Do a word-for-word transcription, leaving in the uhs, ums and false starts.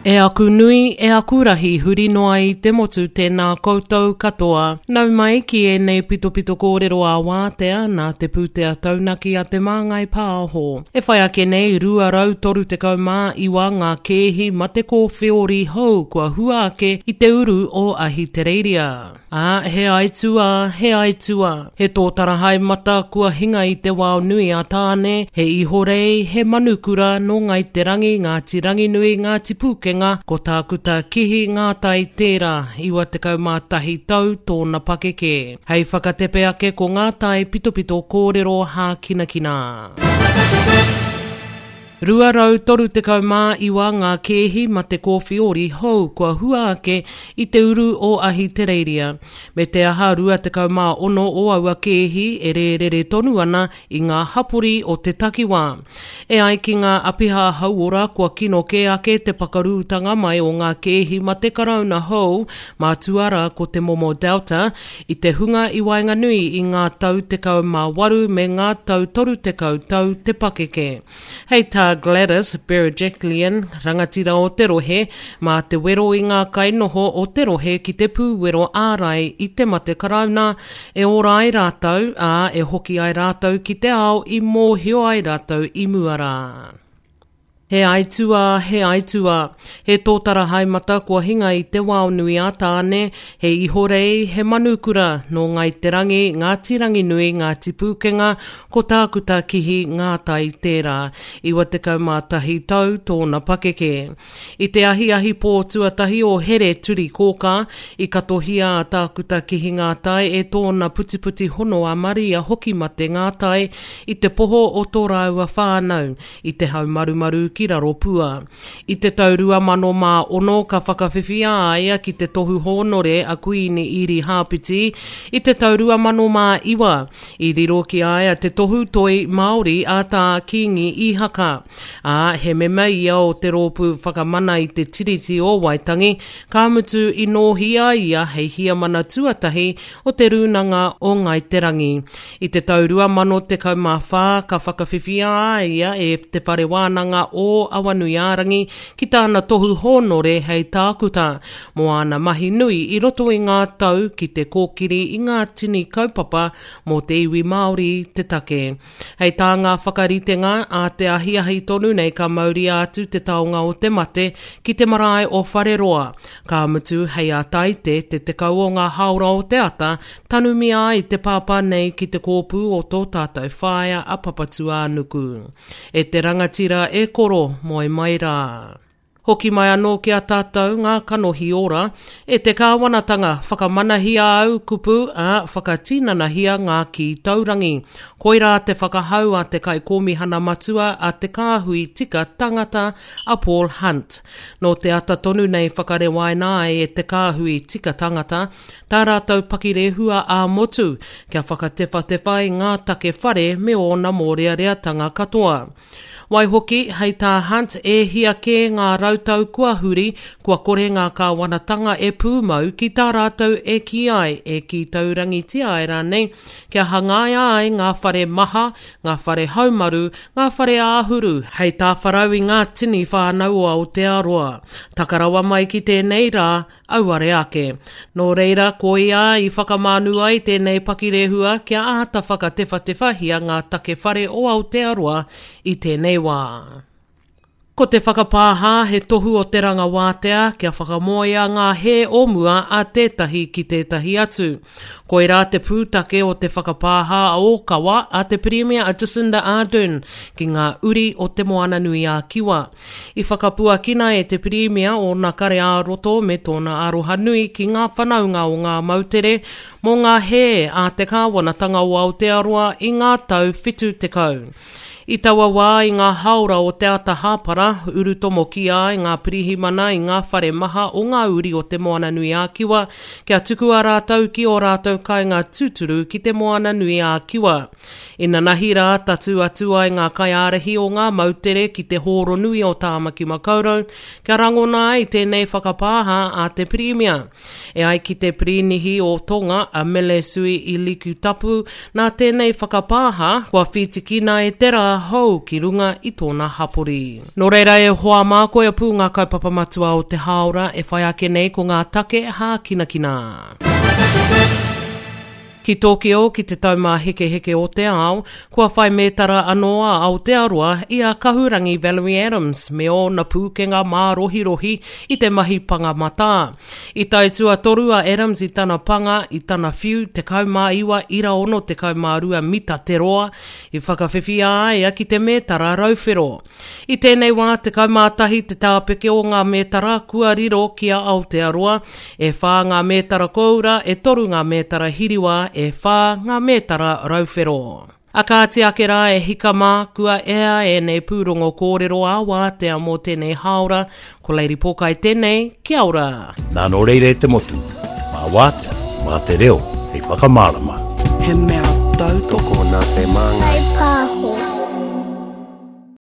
E aku nui, e aku rahi, huri noa i te motu tēnā koutou katoa. Nau mai ki ēnei pitopito kōrero a wātea nā te pūtea taunaki a Te Māngai Pāho. E whai ake nei, rua rau toru tekau mā iwa ngā kēhi mate kōwheori hou kua hua ake i te uru o Ahitereiria. Ā, he aituā, he aituā. He tōtara haemata kua hinga i te wao nui a Tāne, he ihorei, he manukura nō Ngāi Te Rangi, Ngāti Ranginui, Ngāti Pūkenga, ko Tākuta Kihi Ngātai tērā, iwa tekau mā tahi tau tōna pakeke. Hei whakatepe ake ko ngā tai pitopito kōrero hākinakina. Rua rau toru tekau mā iwa ngā kēhi mate kōwheori hou kua hua ake i te uru o Ahitereiria. Me te aha rua tekau mā ono o aua kēhi e rērere tonu ana i ngā hapori o te takiwā. E ai ki ngā apiha hauora kua kino kē ake te pakarūtanga mai o ngā kēhi mate karauna hou, mātua rā ko te momo Delta, i te hunga i waenganui i ngā tau tekau mā waru me ngā tau toru tekau tau te pakeke. Hei tā Gladys Berejiklian, rangatira o te rohe, mā te wero i ngā kainoho o te rohe ki te pūwero ārai i te mate karauna, e ora ai rātou, ā, e hoki ai rātou ki te ao i mōhio ai rātou i mua rā. He aituā, he aituā. He tōtara haemata kua hinga i te wao nui a Tāne, he ihorei, he manukura, nō Ngāi Te Rangi, Ngāti Ranginui, Ngāti Pūkenga, ko Tākuta Kihi Ngātai tērā, iwa tekau mā tahi tau tōna pakeke. I te ahiahi pō tuatahi o Here Turi Kōkā, i katohia a Tākuta Kihi Ngātai e tōna putiputi hono a Maria Hokimate Ngātai i te poho o tō rāua whānau, i te haumarumaru ki raro pua. I te tau rua mano mā ono ka whakawhiwhia a ia ki te tohu hōnore a Kuini Iri Hāpiti i te tau rua mano mā iwa. I riro ki a ia te tohu toi Māori a Tā Kīngi Īhaka. Ā, he mema ia o te rōpū whakamana i te Tiriti o Waitangi, ka mutu i nōhi a ia hei hiamana tuatahi o te Rūnanga o Ngāi Te Rangi. I te tau rua mano tekau mā whā ka whakawhiwhia a ia e Te Whare Wānanga o Awanuiārangi ki tāna tohu hōnore hei tākuta mō āna mahi nui i roto i ngā tau ki te kōkiri i ngā tini kaupapa mō te iwi Māori te take. Hei tā ngā whakaritenga a te ahiahi tonu nei ka mauria atu te taonga o te mate ki te marae o Whareroa. Ka mutu hei a Taite te tekau o ngā hāora o te ata, tanumia ai te pāpā nei ki te kōpū o tō tātou whaea a Papatūānuku. E te rangatira e koro, moe mai rā. Hoki mai anō ki a tātou ngā kanohi ora, e te kāwanatanga whakamanahia au kupu, ā, whakatinanahia ngā kī taurangi. Koirā te whakahau a te kaikōmihana matua a Te Kāhui Tika Tangata a Paul Hunt. Nō te ata tonu nei whakarewaina ai e Te Kāhui Tika Tangata tā rātou pakirehua ā-motu kia whakatewhatewha i ngā take whare me ōna mōreareatanga katoa. Waihoki, hei tā Hunt, e hia kē ngā rautau kua huri, kua kore ngā kāwanatanga e pūmau ki tā rātou e kī ai, e kī taurangitia ai rānei, kia hangaia ai ngā whare maha, ngā whare haumaru, ngā whare āhuru, hei tāwharau i ngā tini whānau o Aotearoa. Taka rawa mai ki tēnei rā, auare ake. Nō reira, koia i whakamānu ai tēnei pakirehua kia āta whakatewhatewhahia ngā take whare o Aotearoa i tēnei wā. Ko te whakapāha he tohu o te ranga wātea kia whakamoea ngā hē o mua a tētahi ki tētahi atu. Koirā te pūtake o te whakapāha ōkawa a te Pirimia a Jacinda Ardern ki ngā uri o Te Moananui-a-Kiwa. I whakapuakina e te Pirimia ōna kare ā-roto me tōna aroha nui ki ngā whanaunga o ngā moutere mō ngā hē a te kāwanatanga o Aotearoa i ngā tau whitu tekau. I taua wā i ngā hāora o te ata hāpara, urutomokia ai ngā pirihimana i ngā whare maha o ngā uri o Te Moananui-a-Kiwa kia tukua rātou ki ō rātou kāinga tūturu ki Te Moananui-a-Kiwa. Inanahi rā tatū atu ai ngā kaiārahi o ngā moutere ki te hōro nui o Tāmaki Makaurau kia rangona ai tēnei whakapāha a te Pirimia. E ai ki te Pirinihi o Tonga a Mele Sui Ilikutapu, nā tēnei whakapāha kua whītikina e te rā hou ki runga i tōna hapori. Nō reira e hoa mā, koia pū ngā kaupapa matua o te hāora e whai ake nei ko ngā take hākinakina. Ki Tokyo, ki te taumāhekeheke o te ao, kua whai mētara anō a Aotearoa i a Kahurangi Valerie Adams me ōna pūkenga mārohirohi i te mahi panga matā. I tae tuatoru a Adams i tana panga i tana whiu tekau mā iwa ira ono tekau mā rua mita te roa, i whakawhiwhia ai ia ki te mētara rauwhero. I tēnei wā, tekau mā tahi te tāpeke o ngā mētara kua riro ki a Aotearoa, e whā ngā mētara kōura, e toru ngā mētara hiriwā, e whā ngā mētara rauwhero. A kāti ake rā e hika mā, kua ea ēnei pūrongo kōrero ā-wātea mō tēnei hāora, ko Lady Pōkai tēnei, kia ora! Nā nō reira e te motu, mā wātea, mā te reo hei whakamārama. He mea tautoko Tokona te māngai. Whai